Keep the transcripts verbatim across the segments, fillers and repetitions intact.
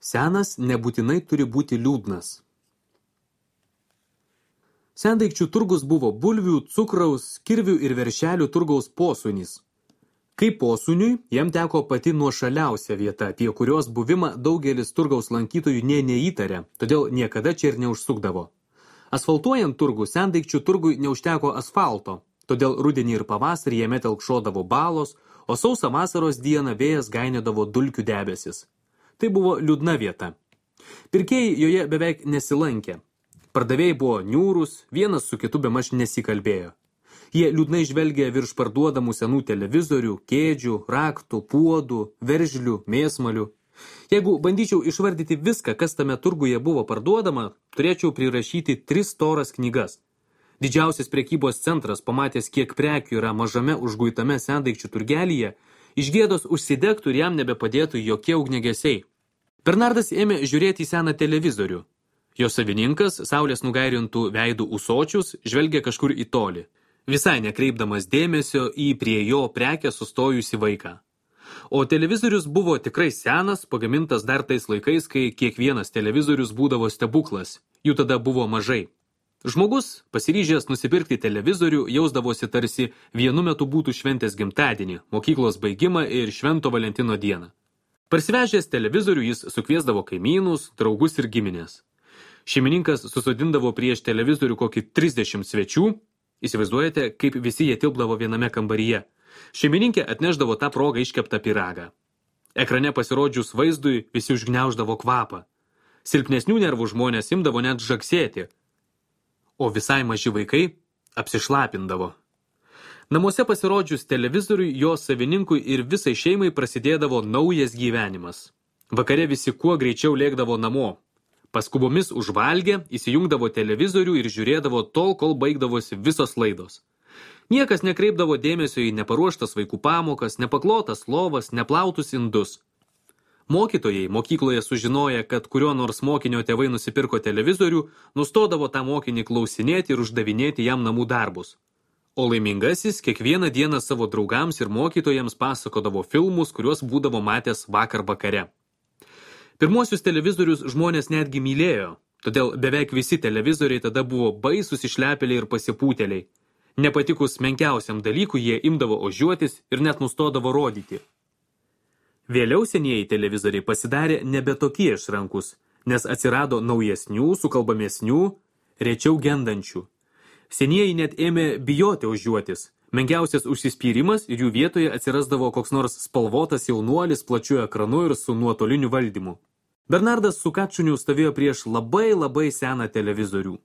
Senas nebūtinai turi būti liūdnas. Sendaikčių turgus buvo bulvių, cukraus, kirvių ir veršelių turgaus posūnys. Kaip posūniui, jam teko pati nuošaliausia vieta, apie kurios buvimą daugelis turgaus lankytojų nė neįtarė, todėl niekada čia ir neužsukdavo. Asfaltuojant turgų, sendaikčių turgui neužteko asfalto, todėl rudenį ir pavasarį jame telkšodavo balos, o sausą vasaros dieną vėjas gainėdavo dulkių debesis. Tai buvo liūdna vieta. Pirkėjai joje beveik nesilankė. Pardavėjai buvo niūrūs, vienas su kitu bemaž nesikalbėjo. Jie liūdnai žvelgė virš parduodamų senų televizorių, kėdžių, raktų, puodų, veržlių, mėsmalių. Jeigu bandyčiau išvardyti viską, kas tame turguje buvo parduodama, turėčiau prirašyti tris storas knygas. Didžiausias prekybos centras, pamatęs, kiek prekių yra mažame užguitame sendaikčių turgelyje, iš gėdos užsidegtų ir jam nebepadėtų jokie ugniagesiai. Bernardas ėmė žiūrėti į seną televizorių. Jo savininkas, saulės nugairintų veidų ūsočius, žvelgė kažkur į tolį, visai nekreipdamas dėmesio į prie jo prekę sustojusi vaiką. O televizorius buvo tikrai senas, pagamintas dar tais laikais, kai kiekvienas televizorius būdavo stebuklas, jų tada buvo mažai. Žmogus, pasiryžęs nusipirkti televizorių, jausdavosi tarsi vienu metu būtų šventės gimtadienį, mokyklos baigimą ir Švento Valentino dieną. Parsivežęs televizorių jis sukviesdavo kaimynus, draugus ir giminės. Šeimininkas susodindavo prieš televizorių kokį trisdešimt svečių. Įsivaizduojate, kaip visi jie tilpdavo viename kambaryje. Šeimininkė atnešdavo tą progą iškeptą pyragą. Ekrane pasirodžius vaizdui visi užgniauždavo kvapą. Silpnesnių nervų žmonės imdavo net žagsėti, o visai maži vaikai apsišlapindavo. Namuose pasirodžius televizoriui, jo savininkui ir visai šeimai prasidėdavo naujas gyvenimas. Vakare visi kuo greičiau lėkdavo namo. Paskubomis užvalgė, įsijungdavo televizorių ir žiūrėdavo tol, kol baigdavosi visos laidos. Niekas nekreipdavo dėmesio į neparuoštas vaikų pamokas, nepaklotas lovas, neplautus indus. Mokytojai mokykloje sužinoję, kad kurio nors mokinio tėvai nusipirko televizorių, nustodavo tą mokinį klausinėti ir uždavinėti jam namų darbus. O laimingasis kiekvieną dieną savo draugams ir mokytojams pasakodavo filmus, kuriuos būdavo matęs vakar vakare. Pirmuosius televizorius žmonės netgi mylėjo, todėl beveik visi televizoriai tada buvo baisūs išlepėliai ir pasipūtėliai. Nepatikus menkiausiam dalykui jie imdavo ožiuotis ir net nustodavo rodyti. Vėliau senieji televizoriai pasidarė nebe tokie išrankus, nes atsirado naujesnių, sukalbamesnių, rečiau gendančių. Senieji net ėmė bijoti ožiuotis. Menkiausias užsispyrimas ir jų vietoje atsirasdavo koks nors spalvotas jaunuolis plačiu ekranu ir su nuotoliniu valdymu. Bernardas su Kačuniu stovėjo prieš labai labai seną televizorių.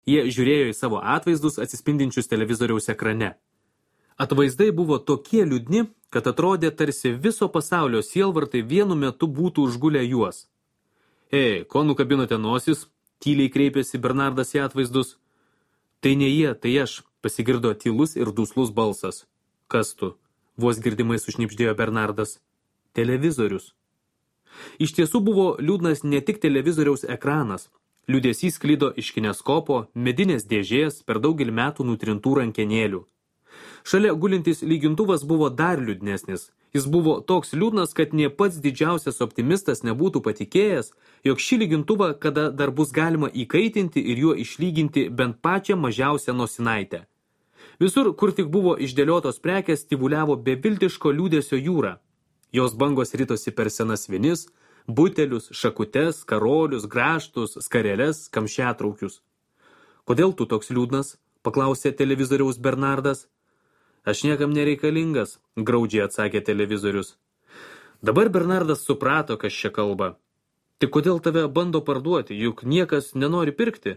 Jie žiūrėjo į savo atvaizdus atsispindinčius televizoriaus ekrane. Atvaizdai buvo tokie liūdni, kad atrodė tarsi viso pasaulio sielvartai vienu metu būtų užgulę juos. Ei, ko nukabinote nosis? Tyliai kreipėsi Bernardas į atvaizdus. Tai ne jie, tai aš, pasigirdo tylus ir duslus balsas. Kas tu? Vos girdimai sušnipždėjo Bernardas. Televizorius. Iš tiesų buvo liūdnas ne tik televizoriaus ekranas. Liūdesys sklido iš kineskopo, medinės dėžės, per daugelį metų nutrintų rankenėlių. Šalia gulintis lygintuvas buvo dar liūdnesnis. Jis buvo toks liūdnas, kad nė pats didžiausias optimistas nebūtų patikėjęs, jog šį lygintuvą kada dar bus galima įkaitinti ir juo išlyginti bent pačią mažiausią nosinaitę. Visur, kur tik buvo išdėliotos prekės, tyvuliavo beviltiško liūdesio jūra. Jos bangos ritosi per senas vinis, butelius, šakutes, karolius, grąžtus, skareles, kamšetraukius. Kodėl tu toks liūdnas? Paklausė televizoriaus Bernardas. Aš niekam nereikalingas, graudžiai atsakė televizorius. Dabar Bernardas suprato, kas čia kalba. Tik kodėl tave bando parduoti, juk niekas nenori pirkti?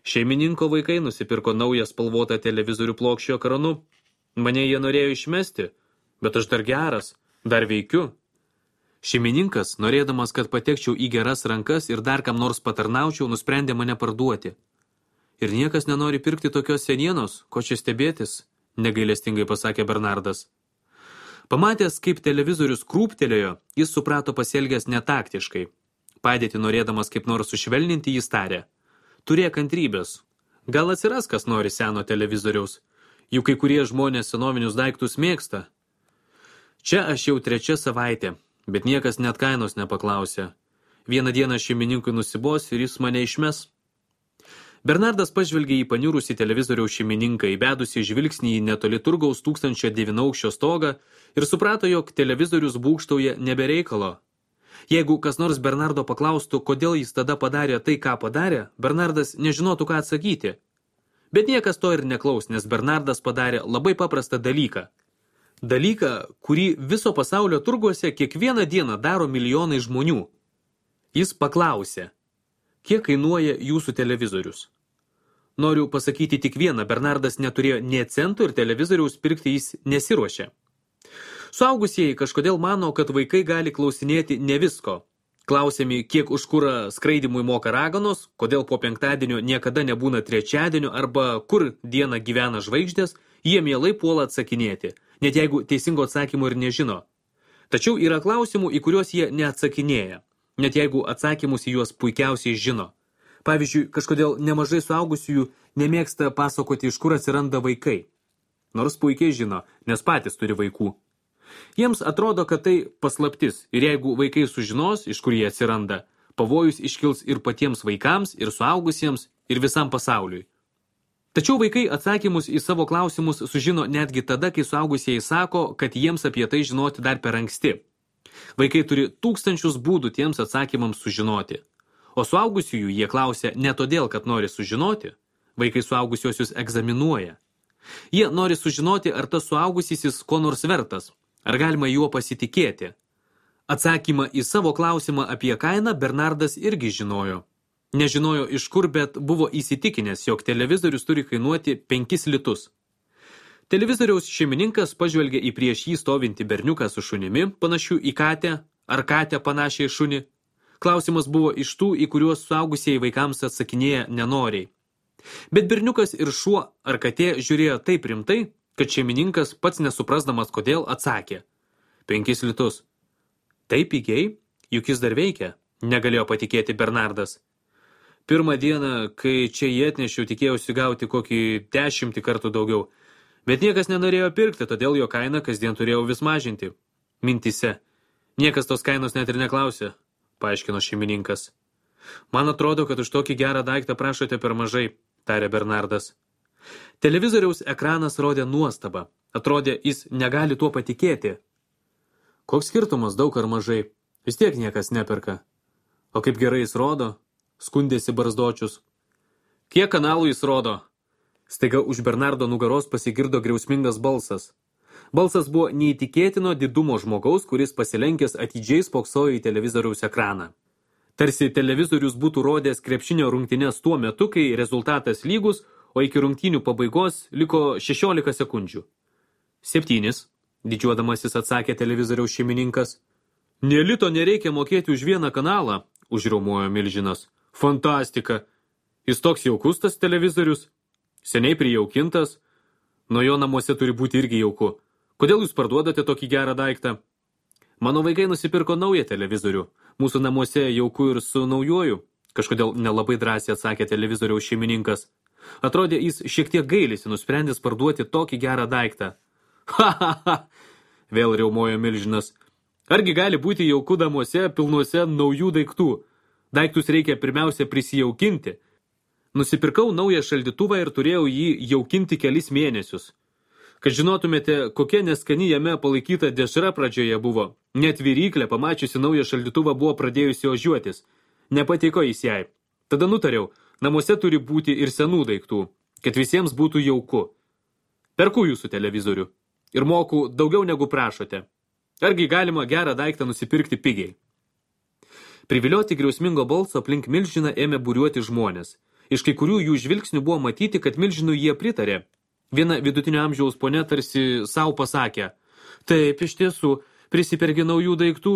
Šeimininko vaikai nusipirko naują spalvotą televizorių plokščio ekranu. Mane jie norėjo išmesti, bet aš dar geras, dar veikiu. Šeimininkas, norėdamas, kad patekčiau į geras rankas ir dar kam nors patarnaučiau, nusprendė mane parduoti. Ir niekas nenori pirkti tokios senienos, ko čia stebėtis, negailestingai pasakė Bernardas. Pamatęs, kaip televizorius krūptelėjo, jis suprato pasielgęs netaktiškai. Padėti norėdamas kaip nors sušvelninti, jis tarė. Turėk kantrybės. Gal atsiras, kas nori seno televizoriaus. Juk kai kurie žmonės senovinius daiktus mėgsta. Čia aš jau trečia savaitė, bet niekas net kainos nepaklausė. Vieną dieną šeimininkui nusibos ir jis mane išmes. Bernardas pažvelgė į paniurusį televizoriaus šeimininką, įbedusį žvilgsnį į netoli turgaus tūkstančio devynaukščio stogą ir suprato, jog televizorius būgštauja nebereikalo. Jeigu kas nors Bernardo paklaustų, kodėl jis tada padarė tai, ką padarė, Bernardas nežinotų, ką atsakyti. Bet niekas to ir neklaus, nes Bernardas padarė labai paprastą dalyką. Dalyką, kurį viso pasaulio turguose kiekvieną dieną daro milijonai žmonių. Jis paklausė, kiek kainuoja jūsų televizorius? Noriu pasakyti tik vieną, Bernardas neturėjo nė centų ir televizoriaus pirkti jis nesiruošė. Suaugusieji kažkodėl mano, kad vaikai gali klausinėti ne visko. Klausiami, kiek už kurą skraidimui moka raganos, kodėl po penktadienio niekada nebūna trečiadienio arba kur dieną gyvena žvaigždės, jie mielai puola atsakinėti, net jeigu teisingo atsakymo ir nežino. Tačiau yra klausimų, į kuriuos jie neatsakinėja, net jeigu atsakymus į juos puikiausiai žino. Pavyzdžiui, kažkodėl nemažai suaugusiųjų nemėgsta pasakoti, iš kur atsiranda vaikai. Nors puikiai žino, nes patys turi vaikų. Jiems atrodo, kad tai paslaptis ir jeigu vaikai sužinos, iš kur jie atsiranda, pavojus iškils ir patiems vaikams, ir suaugusiems, ir visam pasauliui. Tačiau vaikai atsakymus į savo klausimus sužino netgi tada, kai suaugusieji sako, kad jiems apie tai žinoti dar per anksti. Vaikai turi tūkstančius būdų tiems atsakymams sužinoti. O suaugusiųjų jie klausia ne todėl, kad nori sužinoti, vaikai suaugusiuosius egzaminuoja. Jie nori sužinoti, ar tas suaugusysis ko nors vertas, ar galima juo pasitikėti. Atsakymą į savo klausimą apie kainą Bernardas irgi žinojo. Nežinojo iš kur, bet buvo įsitikinęs, jog televizorius turi kainuoti penkis litus. Televizoriaus šeimininkas pažvelgė į prieš jį stovintį berniuką su šunimi, panašiu į katę, ar katę panašiai šunį. Klausimas buvo iš tų, į kuriuos suaugusieji vaikams atsakinėja nenoriai. Bet berniukas ir šuo ar katė žiūrėjo taip rimtai, kad šeimininkas pats nesuprasdamas kodėl atsakė. Penkis litus. Taip pigiai, juk jis dar veikia, negalėjo patikėti Bernardas. Pirmą dieną, kai čia jį atnešiau, tikėjausi gauti kokį dešimtį kartų daugiau, bet niekas nenorėjo pirkti, todėl jo kainą kasdien turėjau vis mažinti. Mintise. Niekas tos kainos net ir neklausė, paaiškino šeimininkas. Man atrodo, kad už tokį gerą daiktą prašote per mažai, tarė Bernardas. Televizoriaus ekranas rodė nuostabą. Atrodė, jis negali tuo patikėti. Koks skirtumas, daug ar mažai? Vis tiek niekas neperka. O kaip gerai jis rodo? Skundėsi barzdočius. Kiek kanalų jis rodo? Staiga už Bernardo nugaros pasigirdo griausmingas balsas. Balsas buvo neįtikėtino didumo žmogaus, kuris pasilenkęs atidžiai spoksojo į televizoriaus ekraną. Tarsi televizorius būtų rodęs krepšinio rungtynes tuo metu, kai rezultatas lygus, o iki rungtynių pabaigos liko šešiolika sekundžių. Septynis, didžiuodamasis atsakė televizoriaus šeimininkas. Nė lito nereikia mokėti už vieną kanalą, užriaumojo milžinas. Fantastika! Jis toks jaukus tas televizorius, seniai prijaukintas, nuo jo namuose turi būti irgi jauku. Kodėl jūs parduodate tokį gerą daiktą? Mano vaikai nusipirko naują televizorių. Mūsų namuose jauku ir su naujuoju, kažkodėl nelabai drąsiai atsakė televizoriaus šeimininkas. Atrodė, jis šiek tiek gailisi, nusprendęs parduoti tokį gerą daiktą. Ha, ha, ha, vėl riaumojo milžinas. Argi gali būti jauku namuose pilnuose naujų daiktų? Daiktus reikia pirmiausia prisijaukinti. Nusipirkau naują šaldytuvą ir turėjau jį jaukinti kelis mėnesius. Kad žinotumėte, kokia neskani jame palaikyta dešra pradžioje buvo. Net viryklė, pamačiusi naują šaldytuvą, buvo pradėjusi ožiuotis. Nepatiko jis jai. Tada nutariau, namuose turi būti ir senų daiktų, kad visiems būtų jauku. Perku jūsų televizorių ir moku daugiau negu prašote. Argi galima gerą daiktą nusipirkti pigiai? Privilioti griausmingo balso aplink milžiną ėmė būriuoti žmonės. Iš kai kurių jų žvilgsnių buvo matyti, kad milžinų jie pritarė. Viena vidutinio amžiaus ponia tarsi savo pasakė. Taip, iš tiesų, prisipergi naujų daiktų,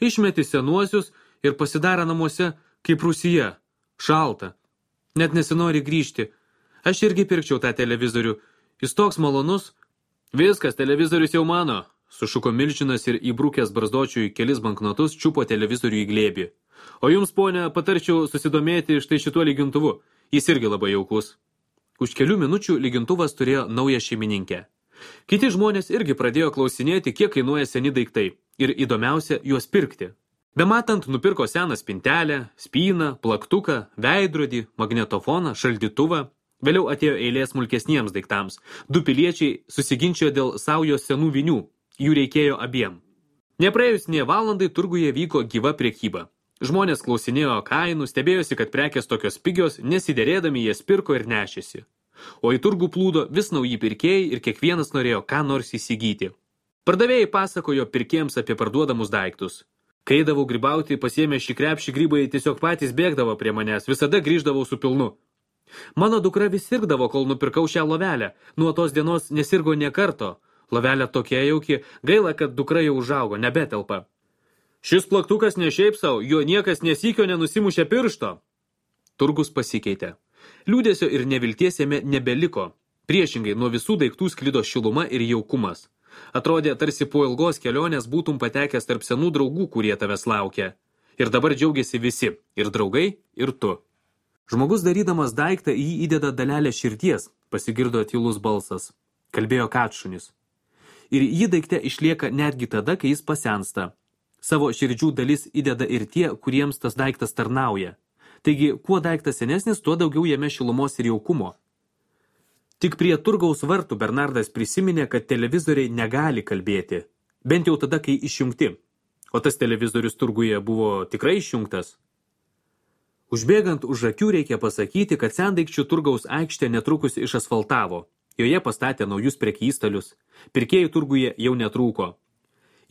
išmeti senuosius ir pasidara namuose kaip Rusija. Šalta. Net nesinori grįžti. Aš irgi pirkčiau tą televizorių. Jis toks malonus. Viskas, televizorius jau mano. Sušuko milžinas ir įbrukęs barzdočiui kelis banknotus čiupo televizorių į glėbį. O jums, ponia, patarčiau susidomėti štai šituo lygintuvu. Jis irgi labai jaukus. Už kelių minučių lygintuvas turėjo naują šeimininkę. Kiti žmonės irgi pradėjo klausinėti, kiek kainuoja seni daiktai. Ir įdomiausia, juos pirkti. Bematant nupirko seną spintelę, spyną, plaktuką, veidrodį, magnetofoną, šaldytuvą. Vėliau atėjo eilė smulkesniems daiktams. Du piliečiai susiginčijo dėl saujos senų vinių. Jų reikėjo abiem. Nepraėjus nė valandai turguje vyko gyva prekyba. Žmonės klausinėjo kainų, stebėjosi, kad prekės tokios pigios, nesiderėdami jas pirko ir nešėsi. O į turgų plūdo vis nauji pirkėjai ir kiekvienas norėjo ką nors įsigyti. Pardavėjai pasakojo pirkėjams apie parduodamus daiktus. Kai eidavau grybauti, pasiėmę šį krepšį, grybai tiesiog patys bėgdavo prie manęs, visada grįždavau su pilnu. Mano dukra vis sirgdavo, kol nupirkau šią lovelę. Nuo tos dienos nesirgo nė karto. Lovelė tokia jauki, gaila, kad dukra jau užaugo, nebetelpa. Šis plaktukas ne šiaip savo, jo niekas nesykio nenusimušė piršto. Turgus pasikeitė. Liūdėsio ir nevilties jame nebeliko. Priešingai, nuo visų daiktų sklido šiluma ir jaukumas. Atrodė, tarsi po ilgos kelionės būtum patekęs tarp senų draugų, kurie tavęs laukia. Ir dabar džiaugiasi visi, ir draugai, ir tu. Žmogus darydamas daiktą į jį įdeda dalelę širdies, pasigirdo tylus balsas. Kalbėjo Katšunis. Ir jį daikte išlieka netgi tada, kai jis pasensta. Savo širdžių dalis įdeda ir tie, kuriems tas daiktas tarnauja. Taigi, kuo daiktas senesnis, tuo daugiau jame šilumos ir jaukumo. Tik prie turgaus vartų Bernardas prisiminė, kad televizoriai negali kalbėti. Bent jau tada, kai išjungti. O tas televizorius turguje buvo tikrai išjungtas. Užbėgant už akių reikia pasakyti, kad sendaikčių turgaus aikštė netrukus išasfaltavo. Joje pastatė naujus prekystalius. Pirkėjų turguje jau netrūko.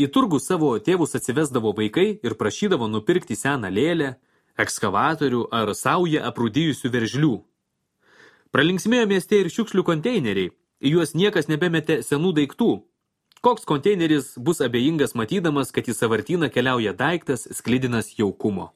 Į turgų savo tėvus atsivesdavo vaikai ir prašydavo nupirkti seną lėlę, ekskavatorių ar saują aprūdijusių veržlių. Pralinksmėjo mieste ir šiukšlių konteineriai. Į juos niekas nebemetė senų daiktų. Koks konteineris bus abejingas matydamas, kad į sąvartyną keliauja daiktas sklidinas jaukumo.